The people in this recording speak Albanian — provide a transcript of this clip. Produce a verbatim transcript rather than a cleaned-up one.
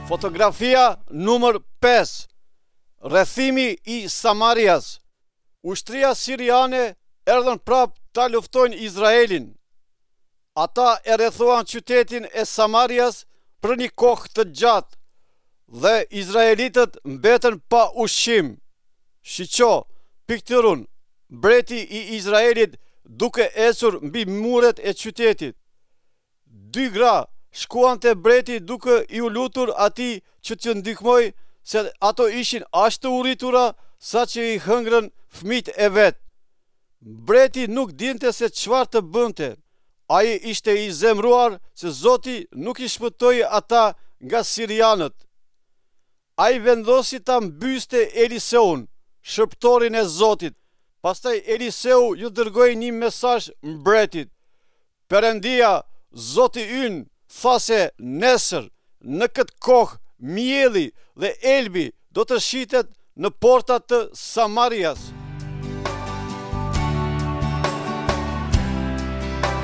Fotografia numër pesë. Rrethimi i Samarias. Ushtria siriane erdhën prapë ta luftojnë Izraelin. Ata e rrethuan qytetin e Samarias për një kohë të gjatë dhe izraelitët mbetën pa ushqim. Shiqo pikturën, mbreti i Izraelit duke ecur mbi muret e qytetit. Dy gra shkuan te mbreti duke iu lutur atij që t'ju ndihmojë, se ato ishin aq të uritura sa që i hëngrën fëmijët e vet. Mbreti nuk dinte se çfarë të bënte. Ai ishte i zemëruar se Zoti nuk i shpëtoi ata nga sirianët. Ai vendosi ta mbyste Eliseun, shërbëtorin e Zotit. Pastaj Eliseu ju dërgoi një mesazh mbretit. Perëndia, Zoti ynë, tha se nesër, në këtë kohë, mielli dhe elbi do të shitet në portat të Samarias.